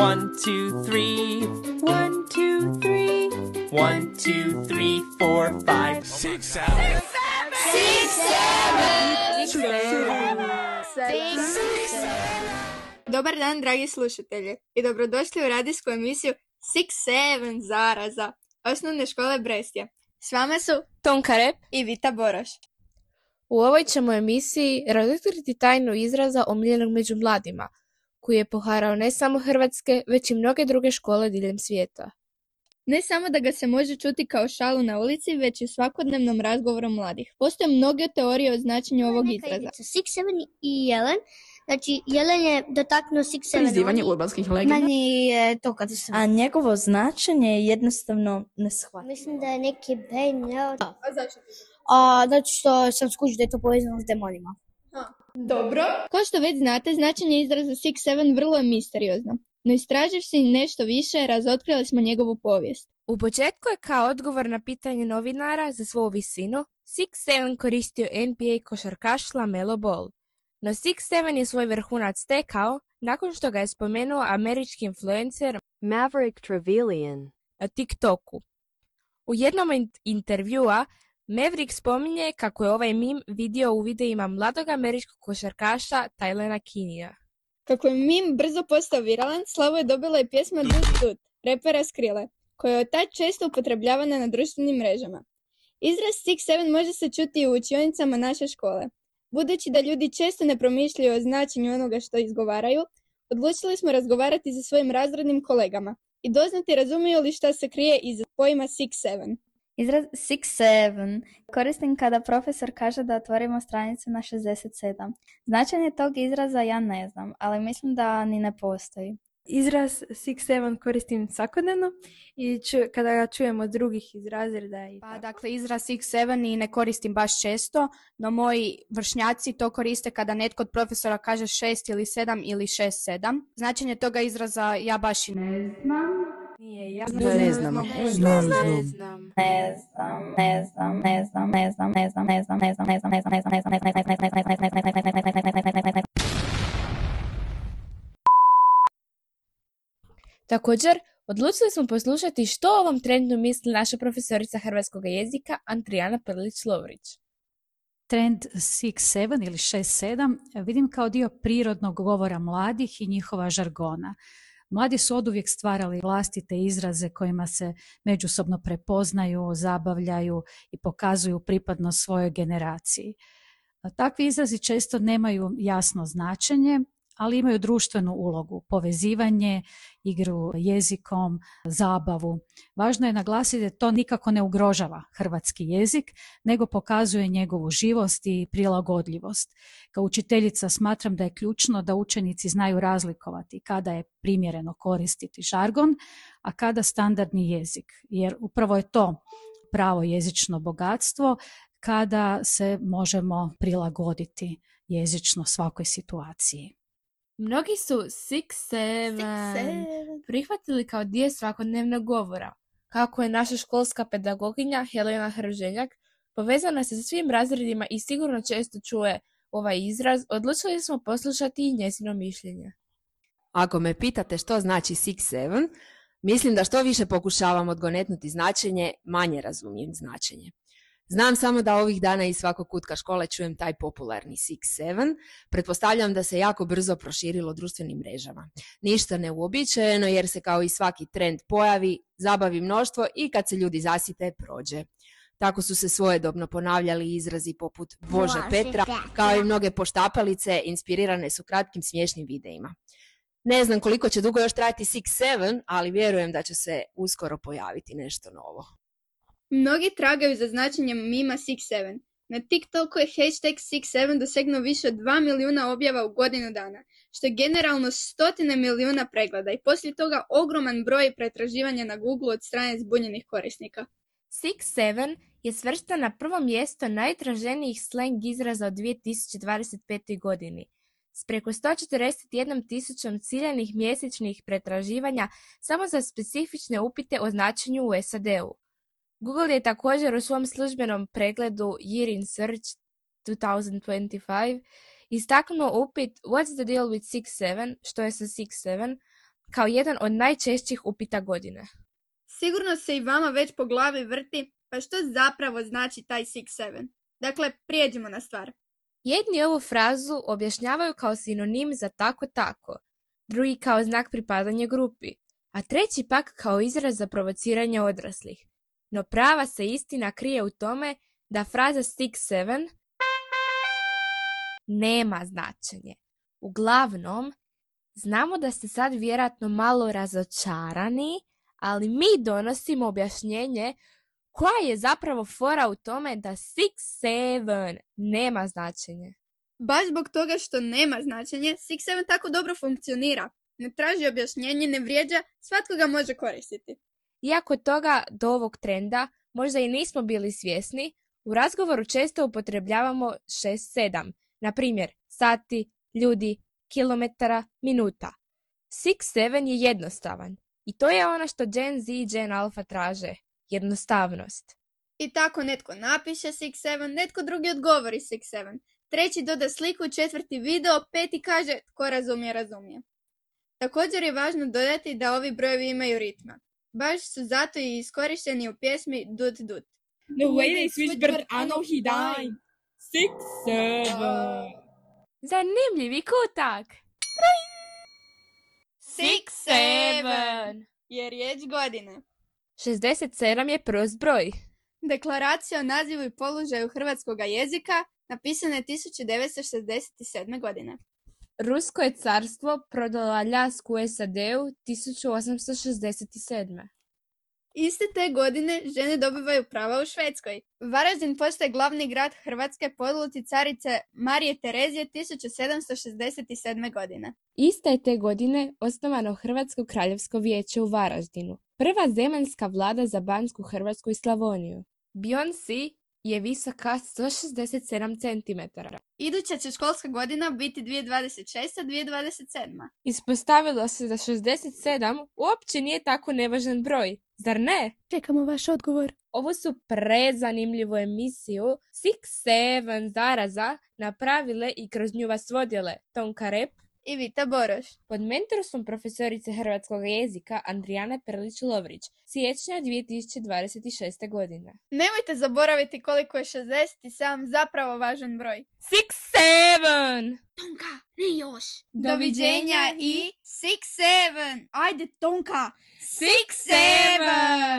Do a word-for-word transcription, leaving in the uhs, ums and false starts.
One, two, three. One, two, three. One, two, three, four, five. Six, seven. Six, seven. Six, seven. Six, Dobar dan, dragi slušatelji, i dobrodošli u radijsku emisiju Six Seven Zaraza osnovne škole Brestje. S vama su Tonka Rep i Vita Boroš. U ovoj ćemo emisiji razotkriti tajnu izraza omiljenog među mladima, koji je poharao ne samo hrvatske, već i mnoge druge škole diljem svijeta. Ne samo da ga se može čuti kao šalu na ulici, već i u svakodnevnom razgovoru mladih. Postoje mnoge teorije o značenju ovog izraza. Six, seven i jelen. Znači, jelen je dotaknuo Six, seven. Prizivanje urbanskih legenda. Meni je to kada sam... A njegovo značenje je jednostavno neshvatljivo. Mislim da je neki Bane, ja... A zašto? A, zato što sam skužio da je to povezano s demonima. Dobro. Kao što već znate, značenje izraza Six Seven vrlo je misteriozno. No istraživši nešto više, razotkrili smo njegovu povijest. U početku je kao odgovor na pitanje novinara za svoju visinu, Six Seven koristio N B A košarkaš LaMelo Ball. No Six Seven je svoj vrhunac stekao nakon što ga je spomenuo američki influencer Maverick Trevelyan na TikToku. U jednom int- intervjua Maverick spominje kako je ovaj mim vidio u videima mladog američkog košarkaša Tylena Kinija. Kako je mim brzo postao viralan, slavu je dobila i pjesma Dut Dut, repera Skrille, koja je od tad često upotrebljavana na društvenim mrežama. Izraz Six Seven može se čuti i u učionicama naše škole. Budući da ljudi često ne promišljaju o značenju onoga što izgovaraju, odlučili smo razgovarati sa svojim razrednim kolegama i doznati razumiju li šta se krije iza pojma Six Seven. Izraz Six Seven koristim kada profesor kaže da otvorimo stranicu na šezdeset sedam. Značenje tog izraza ja ne znam, ali mislim da ni ne postoji. Izraz Six Seven koristim svakodnevno i ču, kada ga čujem od drugih iz razreda. I pa, dakle, izraz Six Seven i ne koristim baš često, no moji vršnjaci to koriste kada netko od profesora kaže šest ili sedam ili šest sedam. Značenje toga izraza ja baš i ne znam. Nije, ja ne znam. Ne znam. Ne znam. Ne znam, ne znam, ne znam, ne znam, ne znam, ne znam, ne znam, ne znam, ne znam, ne znam, ne znam, ne znam, ne znam, ne znam, ne znam, ne znam, ne znam. Također, odlučili smo poslušati što o ovom trendu misli naša profesorica hrvatskog jezika Andrijana Perlić-Lovrić. Trend Six Seven ili šest sedam vidim kao dio prirodnog govora mladih i njihova žargona. Mladi su oduvijek stvarali vlastite izraze kojima se međusobno prepoznaju, zabavljaju i pokazuju pripadnost svojoj generaciji. Takvi izrazi često nemaju jasno značenje, ali imaju društvenu ulogu, povezivanje, igru jezikom, zabavu. Važno je naglasiti da to nikako ne ugrožava hrvatski jezik, nego pokazuje njegovu živost i prilagodljivost. Kao učiteljica smatram da je ključno da učenici znaju razlikovati kada je primjereno koristiti žargon, a kada standardni jezik, jer upravo je to pravo jezično bogatstvo kada se možemo prilagoditi jezično svakoj situaciji. Mnogi su Six Seven, Six, seven. prihvatili kao dio svakodnevnog govora. Kako je naša školska pedagoginja Helena Hrženjak povezana se sa svim razredima i sigurno često čuje ovaj izraz, odlučili smo poslušati i njezino mišljenje. Ako me pitate što znači Six Seven, mislim da što više pokušavam odgonetnuti značenje, manje razumijem značenje. Znam samo da ovih dana iz svakog kutka škole čujem taj popularni Six Seven. Pretpostavljam da se jako brzo proširilo društvenim mrežama. Ništa neuobičajeno jer se kao i svaki trend pojavi, zabavi mnoštvo i kad se ljudi zasite, prođe. Tako su se svojedobno ponavljali izrazi poput Bože Petra, kao i mnoge poštapalice inspirirane su kratkim smiješnim videima. Ne znam koliko će dugo još trajati Six Seven, ali vjerujem da će se uskoro pojaviti nešto novo. Mnogi tragaju za značenjem mima Six Seven. Na TikToku je hashtag Six Seven dosegnuo više od dva milijuna objava u godinu dana, što je generalno stotine milijuna pregleda i poslije toga ogroman broj pretraživanja na Google od strane zbunjenih korisnika. Six Seven je svrstan na prvo mjesto najtraženijih slang izraza od dvije tisuće dvadeset pete. godini. S preko sto četrdeset jedna tisućom ciljanih mjesečnih pretraživanja samo za specifične upite o značenju u S A D-u. Google je također u svom službenom pregledu Year in Search twenty twenty-five istaknuo upit What's the deal with Six Seven, što je sa Six Seven, kao jedan od najčešćih upita godine. Sigurno se i vama već po glavi vrti, pa što zapravo znači taj six seven? Dakle, prijeđimo na stvar. Jedni ovu frazu objašnjavaju kao sinonim za tako tako, drugi kao znak pripadanja grupi, a treći pak kao izraz za provociranje odraslih. No prava se istina krije u tome da fraza six seven nema značenje. Uglavnom, znamo da ste sad vjerojatno malo razočarani, ali mi donosimo objašnjenje koja je zapravo fora u tome da six seven nema značenje. Baš zbog toga što nema značenje, six seven tako dobro funkcionira. Ne traži objašnjenje, ne vrijeđa, svatko ga može koristiti. Iako toga do ovog trenda možda i nismo bili svjesni, u razgovoru često upotrebljavamo šest sedam, na primjer sati, ljudi, kilometara, minuta. six seven je jednostavan i to je ono što Gen Z i Gen Alpha traže, jednostavnost. I tako netko napiše six seven, netko drugi odgovori six seven, treći doda sliku, četvrti video, peti kaže tko razumije, razumije. Također je važno dodati da ovi brojevi imaju ritma. Baš su zato i iskorišteni u pjesmi Dut Dut. The way they switch bird, I know he died. Six, seven. Zanimljivi kutak! Six seven je riječ godine. šezdeset sedam je prost broj. Deklaracija o nazivu i položaju hrvatskog jezika napisana je tisuću devetsto šezdeset sedme. godine. Rusko je carstvo prodalo Aljasku u S A D-u tisuću osamsto šezdeset sedme. Iste te godine žene dobivaju prava u Švedskoj. Varaždin postaje glavni grad Hrvatske po odluci carice Marije Terezije tisuću sedamsto šezdeset sedme. godine. Iste je te godine osnovano Hrvatsko kraljevsko vijeće u Varaždinu, prva zemaljska vlada za Bansku Hrvatsku i Slavoniju. Beyoncé je visoka sto šezdeset sedam centimetara. Iduća će školska godina biti dvije tisuće dvadeset šesta dvije tisuće dvadeset sedma. Ispostavilo se da šezdeset sedam uopće nije tako nevažan broj, zar ne? Čekamo vaš odgovor. Ovu su prezanimljivu emisiju six seven zaraza napravile i kroz nju vas vodile Tonka Rep i Vita Boroš. Pod mentorstvom profesorice hrvatskog jezika Andrijane Perlić-Lovrić, siječnja dvije tisuće dvadeset šeste. godine. Nemojte zaboraviti koliko je šezdeset sedam zapravo važan broj. six seven! Tonka, ne još! Doviđenja i six seven! Ajde, Tonka! six seven!